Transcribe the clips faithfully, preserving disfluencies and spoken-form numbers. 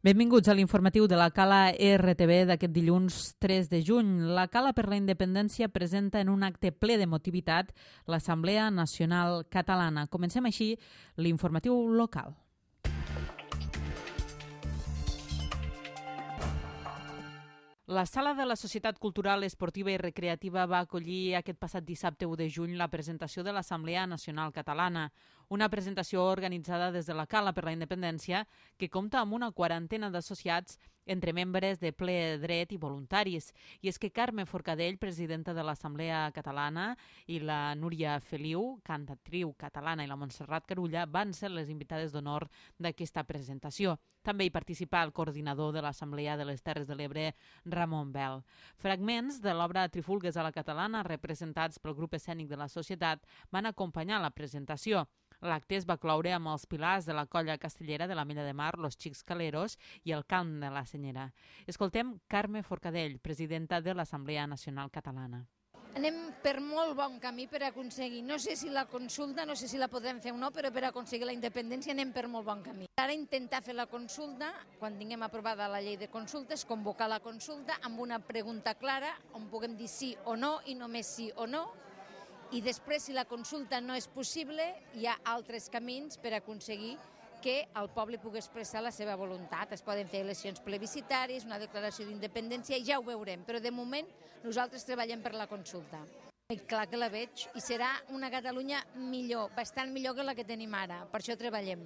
Benvinguts a l'informatiu de la Cala R T V d'aquest dilluns tres de juny. La Cala per la Independència presenta en un acte ple d'emotivitat l'Assemblea Nacional Catalana. Comencem així l'informatiu local. La Sala de la Societat Cultural, Esportiva i Recreativa va acollir aquest passat dissabte u de juny la presentació de l'Assemblea Nacional Catalana, una presentació organitzada des de la Cala per la Independència que compta amb una quarantena d'associats entre membres de ple dret i voluntaris. I és que Carme Forcadell, presidenta de l'Assemblea Catalana, i la Núria Feliu, cantatriu catalana, i la Montserrat Carulla van ser les invitades d'honor d'aquesta presentació. També hi participà el coordinador de l'Assemblea de les Terres de l'Ebre, Ramon Bel. Fragments de l'obra Trifulgues a la Catalana, representats pel grup escènic de la societat, van acompanyar la presentació. L'acte es va cloure amb els pilars de la colla castellera de la Mella de Mar, Los Xics Caleros i el cant de la Senyera. Escoltem Carme Forcadell, presidenta de l'Assemblea Nacional Catalana. Anem per molt bon camí per aconseguir, no sé si la consulta, no sé si la podrem fer o no, però per aconseguir la independència anem per molt bon camí. Ara intentar fer la consulta, quan tinguem aprovada la llei de consultes, convocar la consulta amb una pregunta clara on puguem dir sí o no i només sí o no, i després, si la consulta no és possible, hi ha altres camins per aconseguir que el poble pugui expressar la seva voluntat. Es poden fer eleccions plebiscitàries, una declaració d'independència, i ja ho veurem, però de moment nosaltres treballem per la consulta. I clar que la veig, i serà una Catalunya millor, bastant millor que la que tenim ara, per això treballem.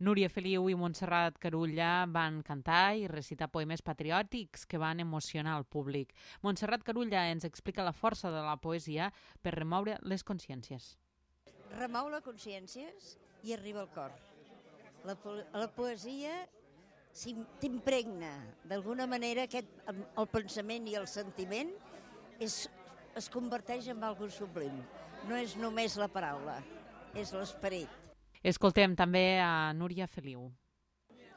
Núria Feliu i Montserrat Carulla van cantar i recitar poemes patriòtics que van emocionar el públic. Montserrat Carulla ens explica la força de la poesia per remoure les consciències. Remou les consciències i arriba al cor. La, po la poesia t'impregna d'alguna manera aquest, el pensament i el sentiment és, es converteix en algo sublim. No és només la paraula, és l'esperit. Escoltem també a Núria Feliu.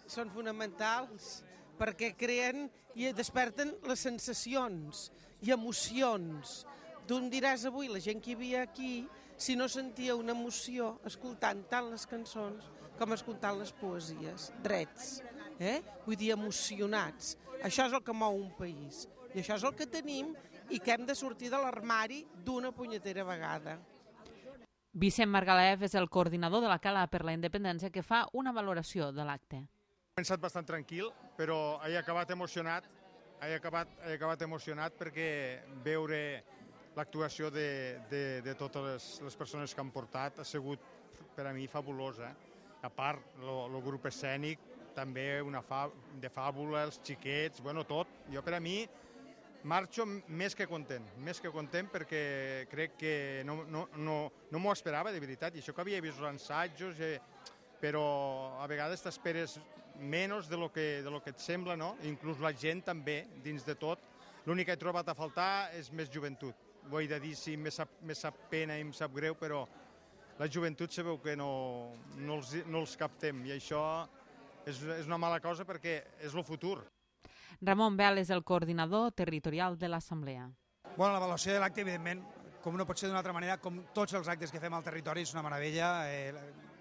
Són fonamentals perquè creen i desperten les sensacions i emocions. Tu em diràs avui, la gent que hi havia aquí, si no sentia una emoció escoltant tant les cançons com escoltant les poesies, drets, eh? Vull dir, emocionats. Això és el que mou un país i això és el que tenim i que hem de sortir de l'armari d'una punyetera vegada. Vicent Margalef és el coordinador de la Cala per la Independència que fa una valoració de l'acte. He pensat bastant tranquil, però he acabat emocionat, he acabat, he acabat emocionat perquè veure l'actuació de, de, de totes les, les persones que han portat ha sigut per a mi fabulosa. A part, el grup escènic, també una fa, de fàbula, els xiquets, bueno, tot. Jo per a mi marxo més que content, més que content perquè crec que no, no, no, no m'ho esperava de veritat, i això que havia vist els assajos, eh, però a vegades t'esperes menys de lo que, de lo que et sembla, no? Inclús la gent també, dins de tot. L'únic que he trobat a faltar és més joventut. Ho he de dir, sí, me sap, me sap pena i em sap greu, però la joventut sabeu que no, no, els, no els captem, i això és, és una mala cosa perquè és el futur. Ramon Bel és el coordinador territorial de l'Assemblea. Bueno, l'avaluació de l'acte, evidentment, com no pot ser d'una altra manera, com tots els actes que fem al territori, és una meravella. Eh,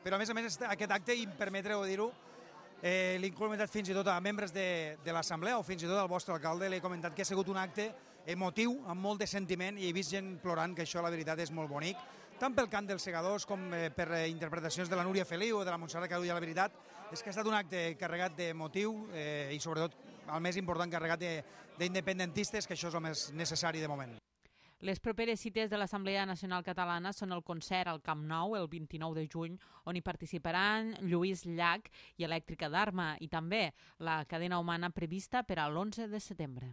però, a més a més, aquest acte, i permetreu dir-ho, eh, l'he comentat fins i tot a membres de, de l'Assemblea o fins i tot al vostre alcalde, l'he comentat que ha sigut un acte emotiu, amb molt de sentiment, i he vist gent plorant, que això, la veritat, és molt bonic. Tant pel cant dels segadors com per interpretacions de la Núria Feliu o de la Montserrat Carulla, la veritat és que ha estat un acte carregat de motiu eh, i sobretot, el més important, carregat d'independentistes, que això és el més necessari de moment. Les properes cites de l'Assemblea Nacional Catalana són el concert al Camp Nou el vint-i-nou de juny, on hi participaran Lluís Llach i Elèctrica d'Arma, i també la cadena humana prevista per a l'onze de setembre.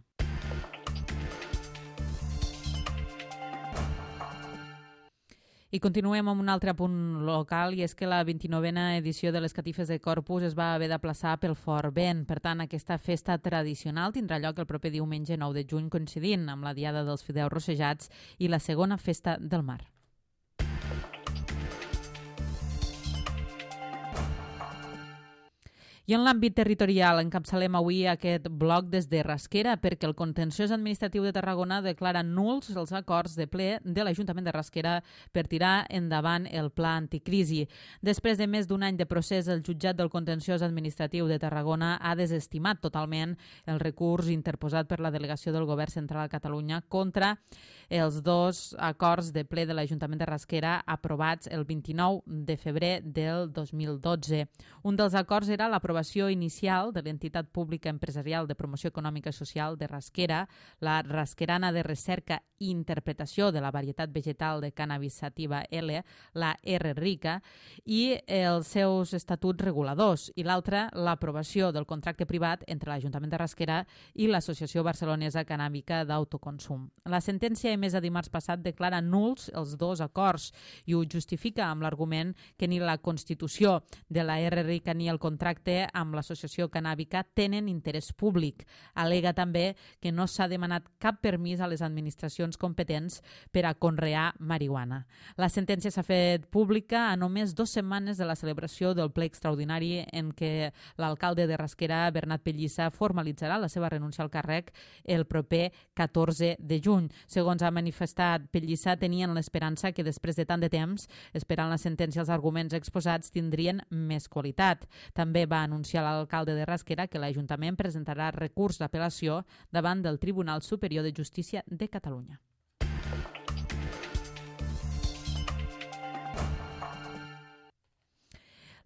I continuem amb un altre punt local, i és que la vint-i-novena edició de les Catifes de Corpus es va haver d'aplaçar pel fort vent. Per tant, aquesta festa tradicional tindrà lloc el proper diumenge nou de juny, coincidint amb la Diada dels Fideus Rossejats i la segona festa del mar. I en l'àmbit territorial encapçalem avui aquest bloc des de Rasquera perquè el Contenciós Administratiu de Tarragona declara nuls els acords de ple de l'Ajuntament de Rasquera per tirar endavant el pla anticrisi. Després de més d'un any de procés, el jutjat del Contenciós Administratiu de Tarragona ha desestimat totalment el recurs interposat per la delegació del Govern Central a Catalunya contra els dos acords de ple de l'Ajuntament de Rasquera aprovats el vint-i-nou de febrer del dos mil dotze. Un dels acords era l'aprovació inicial de l'entitat pública empresarial de promoció econòmica i social de Rasquera, la Rasquerana de Recerca i Interpretació de la Varietat Vegetal de Cannabis Sativa L, la R Rica, i els seus estatuts reguladors, i l'altra, l'aprovació del contracte privat entre l'Ajuntament de Rasquera i l'Associació Barcelonesa Cannàbica d'Autoconsum. La sentència emesa dimarts passat declara nuls els dos acords i ho justifica amb l'argument que ni la Constitució de la R Rica ni el contracte amb l'associació cannàbica tenen interès públic. Al·lega també que no s'ha demanat cap permís a les administracions competents per a conrear marihuana. La sentència s'ha fet pública a només dues setmanes de la celebració del ple extraordinari en què l'alcalde de Rasquera, Bernat Pellissa, formalitzarà la seva renúncia al càrrec el proper catorze de juny. Segons ha manifestat Pellissa, tenien l'esperança que després de tant de temps, esperant la sentència, els arguments exposats tindrien més qualitat. També va anunciar l'alcalde de Rasquera que l'Ajuntament presentarà recurs d'apel·lació davant del Tribunal Superior de Justícia de Catalunya.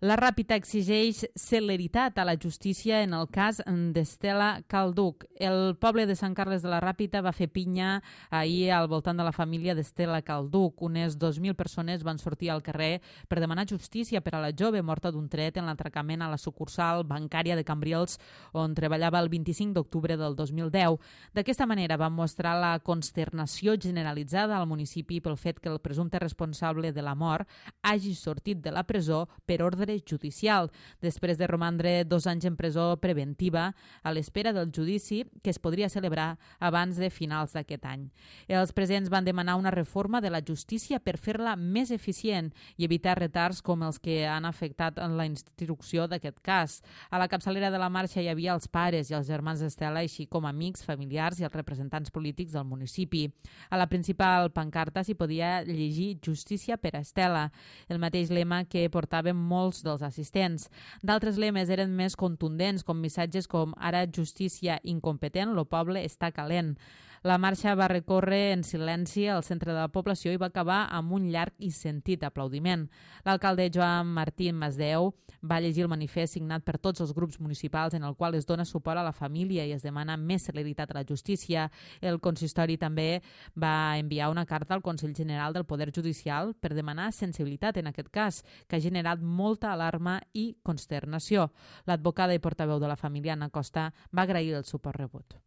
La Ràpita exigeix celeritat a la justícia en el cas d'Estela Calduch. El poble de Sant Carles de la Ràpita va fer pinya ahir al voltant de la família d'Estela Calduch. Unes dos mil persones van sortir al carrer per demanar justícia per a la jove morta d'un tret en l'atracament a la sucursal bancària de Cambrils, on treballava el vint-i-cinc d'octubre del dos mil deu. D'aquesta manera van mostrar la consternació generalitzada al municipi pel fet que el presumpte responsable de la mort hagi sortit de la presó per ordre judicial, després de romandre dos anys en presó preventiva a l'espera del judici que es podria celebrar abans de finals d'aquest any. Els presents van demanar una reforma de la justícia per fer-la més eficient i evitar retards com els que han afectat en la instrucció d'aquest cas. A la capçalera de la marxa hi havia els pares i els germans d'Estela, així com amics, familiars i els representants polítics del municipi. A la principal pancarta s'hi podia llegir Justícia per a Estela, el mateix lema que portaven molts dels assistents. D'altres lemes eren més contundents, com missatges com «Ara justícia incompetent, lo poble està calent». La marxa va recórrer en silenci al centre de la població i va acabar amb un llarg i sentit aplaudiment. L'alcalde Joan Martín Masdeu va llegir el manifest signat per tots els grups municipals en el qual es dona suport a la família i es demana més celeritat a la justícia. El consistori també va enviar una carta al Consell General del Poder Judicial per demanar sensibilitat en aquest cas, que ha generat molta alarma i consternació. L'advocada i portaveu de la família, Anna Costa, va agrair el suport rebut.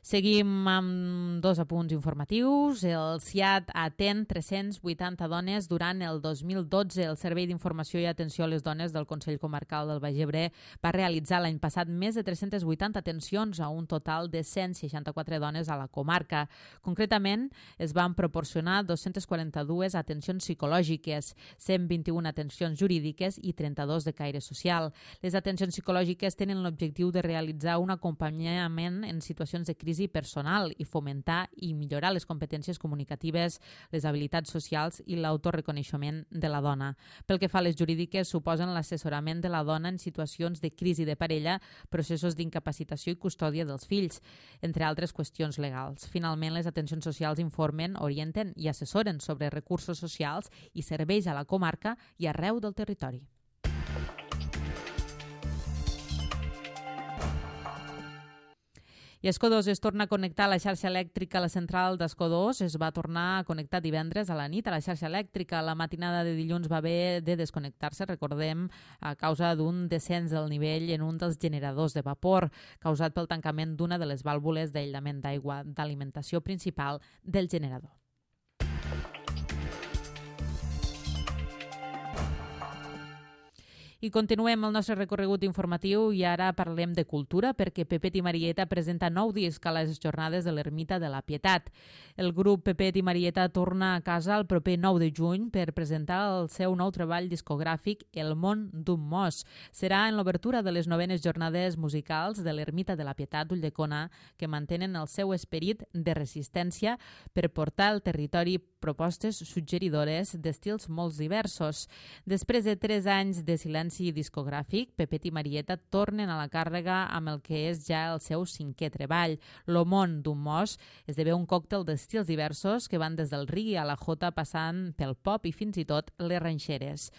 Seguim amb dos apunts informatius. El C I A T atén tres-cents vuitanta dones durant el dos mil dotze. El Servei d'Informació i Atenció a les Dones del Consell Comarcal del Baix Ebre va realitzar l'any passat més de tres-centes vuitanta atencions a un total de cent seixanta-quatre dones a la comarca. Concretament, es van proporcionar dos-centes quaranta-dues atencions psicològiques, cent vint-i-una atencions jurídiques i trenta-dos de caire social. Les atencions psicològiques tenen l'objectiu de realitzar un acompanyament en situacions de crisi personal i fomentar i millorar les competències comunicatives, les habilitats socials i l'autoreconeixement de la dona. Pel que fa a les jurídiques, suposen l'assessorament de la dona en situacions de crisi de parella, processos d'incapacitació i custòdia dels fills, entre altres qüestions legals. Finalment, les atencions socials informen, orienten i assessoren sobre recursos socials i serveis a la comarca i arreu del territori. I Escó dos es torna a connectar a la xarxa elèctrica. La central d'Escó dos es va tornar a connectar divendres a la nit a la xarxa elèctrica. La matinada de dilluns va haver de desconnectar-se, recordem, a causa d'un descens del nivell en un dels generadors de vapor, causat pel tancament d'una de les vàlvules d'aïllament d'aigua d'alimentació principal del generador. I I continuem el nostre recorregut informatiu i ara parlem de cultura perquè Pepet i Marieta presenta nou disc a les jornades de l'Ermita de la Pietat. El grup Pepet i Marieta torna a casa el proper nou de juny per presentar el seu nou treball discogràfic El món d'un mos. Serà en l'obertura de les novenes jornades musicals de l'Ermita de la Pietat d'Ulldecona que mantenen el seu esperit de resistència per portar al territori propostes suggeridores d'estils molt diversos. Després de tres anys de silenci discogràfic, Pepet i Marieta tornen a la càrrega amb el que és ja el seu cinquè treball. Lo món d'un mos esdevé un còctel d'estils diversos que van des del reggae a la jota passant pel pop i fins i tot les ranxeres.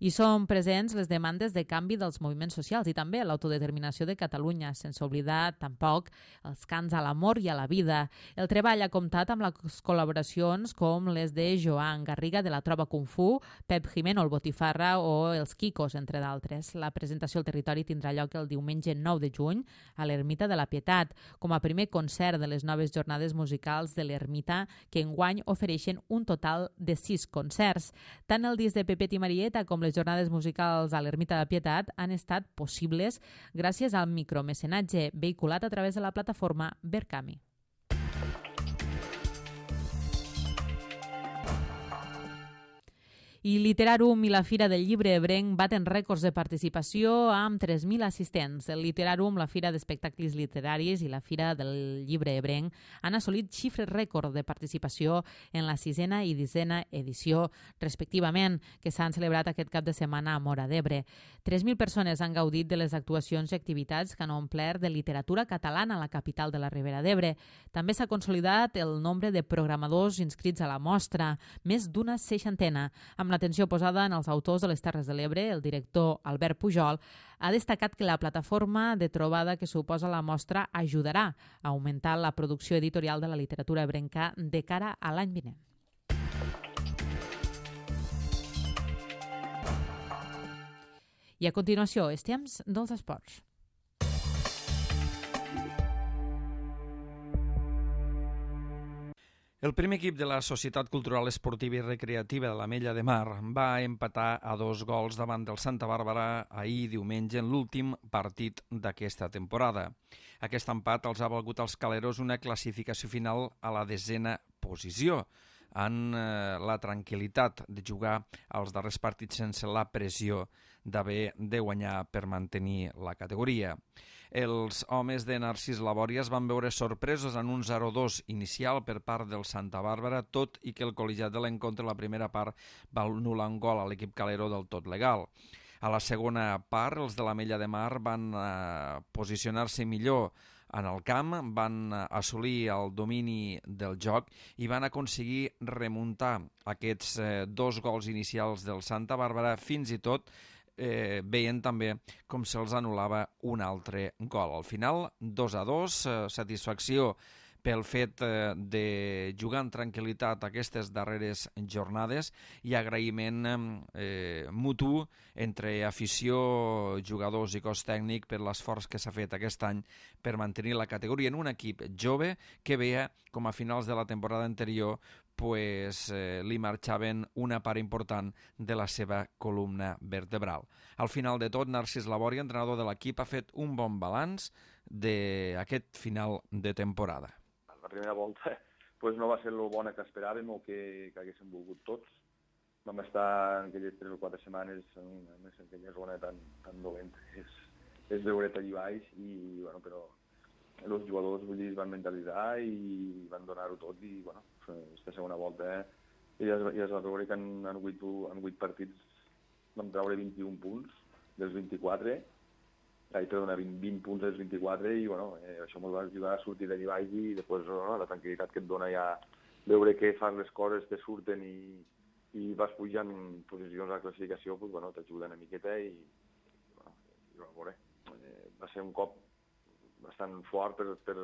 Hi són presents les demandes de canvi dels moviments socials i també l'autodeterminació de Catalunya, sense oblidar tampoc els cants a l'amor i a la vida. El treball ha comptat amb les col·laboracions com les de Joan Garriga de la Trova Kung Fu, Pep Jimeno el Botifarra o els Kikos, entre d'altres. La presentació al territori tindrà lloc el diumenge nou de juny a l'Ermita de la Pietat, com a primer concert de les noves jornades musicals de l'Ermita, que enguany ofereixen un total de sis concerts. Tant el disc de Pepet i Marieta com les jornades musicals a l'Ermita de la Pietat han estat possibles gràcies al micromecenatge vehiculat a través de la plataforma Verkami. I Literarum i la Fira del Llibre Ebrenc baten rècords de participació amb tres mil assistents. El Literarum, la Fira d'Espectacles Literaris i la Fira del Llibre Ebrenc han assolit xifres rècord de participació en la sisena i disena edició, respectivament, que s'han celebrat aquest cap de setmana a Móra d'Ebre. tres mil persones han gaudit de les actuacions i activitats que han omplert de literatura catalana a la capital de la Ribera d'Ebre. També s'ha consolidat el nombre de programadors inscrits a la mostra, més d'una seixantena, amb l'atenció posada en els autors de les Terres de l'Ebre. El director Albert Pujol ha destacat que la plataforma de trobada que suposa la mostra ajudarà a augmentar la producció editorial de la literatura ebrenca de cara a l'any vinent. I a continuació, els temps dels esports. El primer equip de la Societat Cultural Esportiva i Recreativa de l'Ametlla de Mar va empatar a dos gols davant del Santa Bàrbara ahir diumenge en l'últim partit d'aquesta temporada. Aquest empat els ha valgut als caleros una classificació final a la desena posició, en eh, la tranquil·litat de jugar als darrers partits sense la pressió d'haver de guanyar per mantenir la categoria. Els homes de Narcís Labòria es van veure sorpresos en un zero dos inicial per part del Santa Bàrbara, tot i que el col·legiat de l'encontre la primera part va anul·lar un gol a l'equip calero del tot legal. A la segona part, els de l'Ametlla de Mar van eh, posicionar-se millor en el camp, van assolir el domini del joc i van aconseguir remuntar aquests eh, dos gols inicials del Santa Bàrbara, fins i tot Eh, veient també com se'ls anul·lava un altre gol. Al final, dos a dos, eh, satisfacció pel fet eh, de jugar en tranquil·litat aquestes darreres jornades i agraïment eh, mutu entre afició, jugadors i cos tècnic per l'esforç que s'ha fet aquest any per mantenir la categoria en un equip jove que veia com a finals de la temporada anterior pues, eh, li marxaven una part important de la seva columna vertebral. Al final de tot, Narcís Labòria, entrenador de l'equip, ha fet un bon balanç d'aquest final de temporada. La primera volta pues, no va ser el bona que esperàvem o que, que haguéssim volgut tots. Vam estar en aquelles tres o quatre setmanes en, en aquella zona tan, tan dolenta. És, és veure allà baix, i, bueno, però els jugadors vull dir, es van mentalitzar i van donar-ho tot, i bueno, aquesta segona volta eh, ja, es, ja es va veure que en, en, vuit, en vuit partits vam treure vint-i-un punts dels vint-i-quatre, ai, perdona, vint, vint punts dels vint-i-quatre, i bueno, eh, això ens va ajudar a sortir d'allà baix, i després no, la tranquil·litat que et dona ja veure que fas les coses, te surten i, i vas pujant posicions a la classificació, pues, bueno, t'ajuda una miqueta, i, bueno, i va, veure, eh, va ser un cop bastant fort per, per,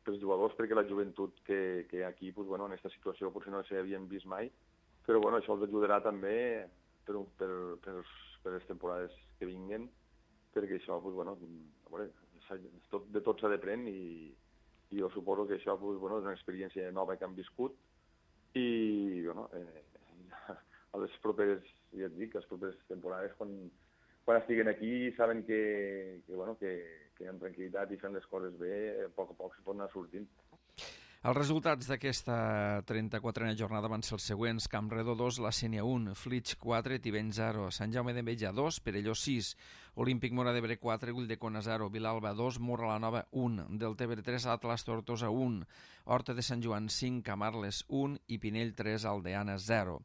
per els jugadors, perquè la joventut que, que hi ha aquí, pues, bueno, en aquesta situació potser no s'havien vist mai, però bueno, això els ajudarà també per, per, per, per les temporades que vinguen, perquè això, pues, bueno, a veure, tot, de tot s'ha d'aprendre, i, i jo suposo que això, pues, bueno, és una experiència nova que han viscut, i bueno, eh, a les properes, ja et dic, a les properes temporades, quan, quan estiguen aquí saben que, que, bueno, que, que amb tranquil·litat i fent les coses bé, a poc a poc se pot anar sortint. Els resultats d'aquesta trenta-quatrena jornada van ser els següents: Campredó dos, la Sénia un, Flix quatre, Tivenys zero, Sant Jaume d'Enveja dos, Perelló sis, Olímpic Móra d'Ebre quatre, Ulldecona zero, Vilalba dos, Móra la Nova un, Deltebre tres, Atlas Tortosa un, Horta de Sant Joan cinc, Camarles un i Pinell tres, Aldeana zero.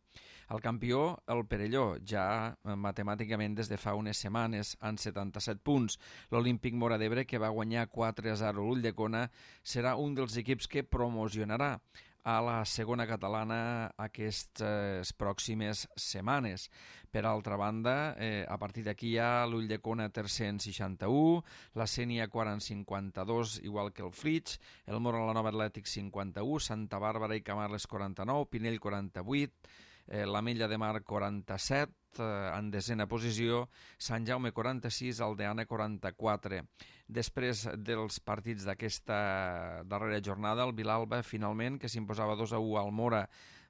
El campió, el Perelló, ja matemàticament des de fa unes setmanes, amb setanta-set punts. L'Olímpic Móra d'Ebre, que va guanyar quatre a zero l'Ulldecona, serà un dels equips que promocionarà a la segona catalana aquestes pròximes setmanes. Per altra banda, eh, a partir d'aquí hi ha l'Ulldecona tercer en seixanta-u, la Sénia quart en cinquanta-dos, igual que el Flix, el Móra la Nova Atlètic cinquanta-u, Santa Bàrbara i Camarles quaranta-nou, Pinell quaranta-vuit, eh, l'Ametlla de Mar quaranta-set, eh, en desena posició, Sant Jaume quaranta-sis, Aldeana quaranta-quatre. Després dels partits d'aquesta darrera jornada, el Vilalba, finalment, que s'imposava dos a u al Móra,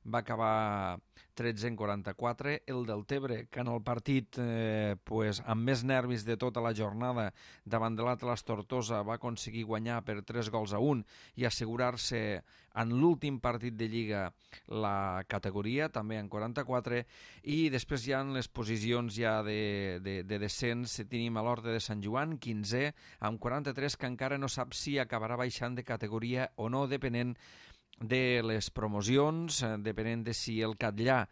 va acabar tretze en quaranta-quatre. El Deltebre, que en el partit eh, pues, amb més nervis de tota la jornada davant de l'Atlas Tortosa va aconseguir guanyar per tres gols a un i assegurar-se en l'últim partit de Lliga la categoria, també en quaranta-quatre. I després ja en les posicions ja de, de, de descens tenim a l'Horta de Sant Joan, quinzè, amb quaranta-tres, que encara no sap si acabarà baixant de categoria o no, depenent de les promocions, depenent de si el Catllà,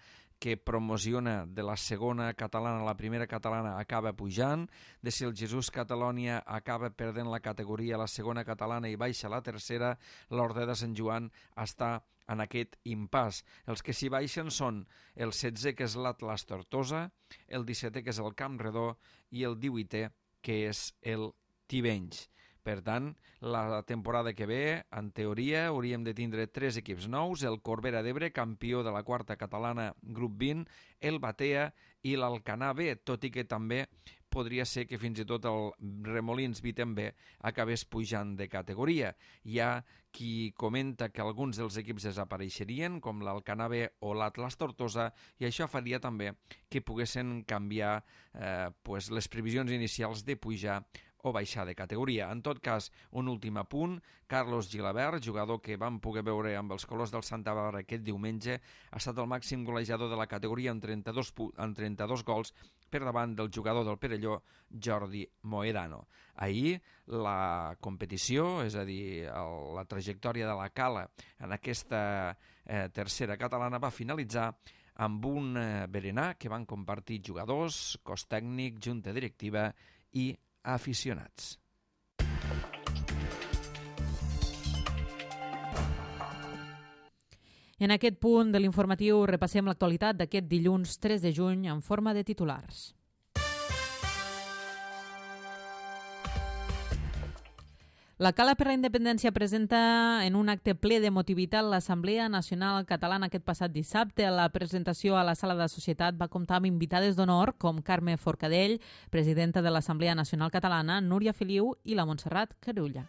que promociona de la segona catalana a la primera catalana, acaba pujant, de si el Jesús Catalònia acaba perdent la categoria a la segona catalana i baixa a la tercera. L'Horta de Sant Joan està en aquest impàs. Els que s'hi baixen són el setzè, que és l'Atlas Tortosa, el dissetè, que és el Campredó, i el divuitè, que és el Tivenys. Per tant, la temporada que ve, en teoria, hauríem de tindre tres equips nous: el Corbera d'Ebre, campió de la quarta catalana, grup vint, el Batea i l'Alcanar B, tot i que també podria ser que fins i tot el Remolins Viten B acabés pujant de categoria. Hi ha qui comenta que alguns dels equips desapareixerien, com l'Alcanar B o l'Atlas Tortosa, i això faria també que poguessin canviar eh, pues, les previsions inicials de pujar o baixar de categoria. En tot cas, un últim apunt: Carlos Gilabert, jugador que vam poder veure amb els colors del Santa Bàrbara aquest diumenge, ha estat el màxim golejador de la categoria amb trenta-dos, amb trenta-dos gols per davant del jugador del Perelló, Jordi Moedano. Ahir la competició, és a dir, el, la trajectòria de la Cala en aquesta eh, tercera catalana va finalitzar amb un eh, berenar que van compartir jugadors, cos tècnic, junta directiva i aficionats. En aquest punt de l'informatiu repassem l'actualitat d'aquest dilluns tres de juny en forma de titulars. La Cala per la Independència presenta en un acte ple d'emotivitat l'Assemblea Nacional Catalana aquest passat dissabte. La presentació a la Sala de Societat va comptar amb invitades d'honor com Carme Forcadell, presidenta de l'Assemblea Nacional Catalana, Núria Feliu i la Montserrat Carulla.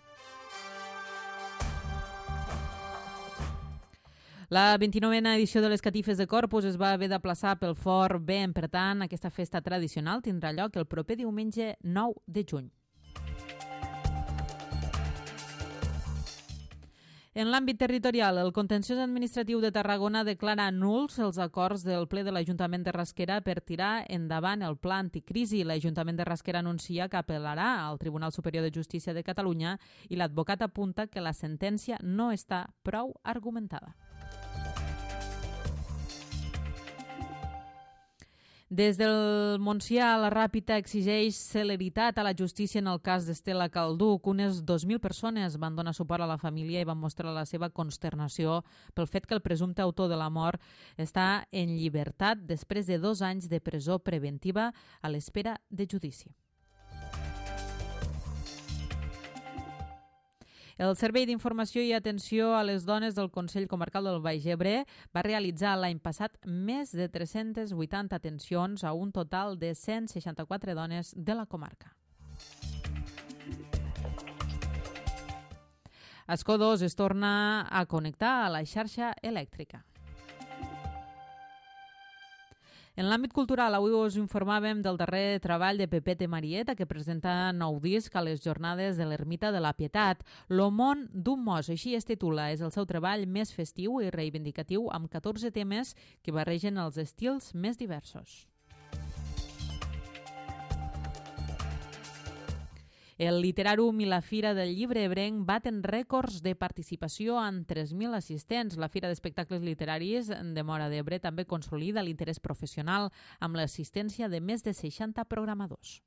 La vint-i-novena edició de les Catifes de Corpus es va haver d'aplaçar pel fort vent, per tant, aquesta festa tradicional tindrà lloc el proper diumenge nou de juny. En l'àmbit territorial, el Contenciós Administratiu de Tarragona declara nuls els acords del ple de l'Ajuntament de Rasquera per tirar endavant el pla anticrisi. L'Ajuntament de Rasquera anuncia que apel·larà al Tribunal Superior de Justícia de Catalunya i l'advocat apunta que la sentència no està prou argumentada. Des del Montsià, la Ràpita exigeix celeritat a la justícia en el cas d'Estela Calduc. Unes dos mil persones van donar suport a la família i van mostrar la seva consternació pel fet que el presumpte autor de la mort està en llibertat després de dos anys de presó preventiva a l'espera de judici. El Servei d'Informació i Atenció a les Dones del Consell Comarcal del Baix Ebre va realitzar l'any passat més de tres-centes vuitanta atencions a un total de cent seixanta-quatre dones de la comarca. Escó dos es torna a connectar a la xarxa elèctrica. En l'àmbit cultural, avui us informàvem del darrer treball de Pepete Marieta, que presenta nou disc a les jornades de l'Ermita de la Pietat. Lo món d'un mos, així es titula. És el seu treball més festiu i reivindicatiu, amb catorze temes que barregen els estils més diversos. El Literàrum i la Fira del Llibre Ebrenc baten rècords de participació amb tres mil assistents. La Fira d'Espectacles Literaris de Móra d'Ebre també consolida l'interès professional amb l'assistència de més de seixanta programadors.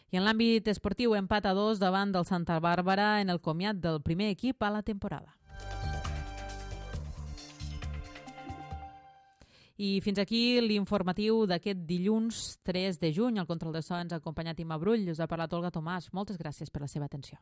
I en l'àmbit esportiu, empat a dos davant del Santa Bàrbara en el comiat del primer equip a la temporada. I fins aquí l'informatiu d'aquest dilluns tres de juny. Al control de so ens ha acompanyat Imma Brull. Us ha parlat Olga Tomàs. Moltes gràcies per la seva atenció.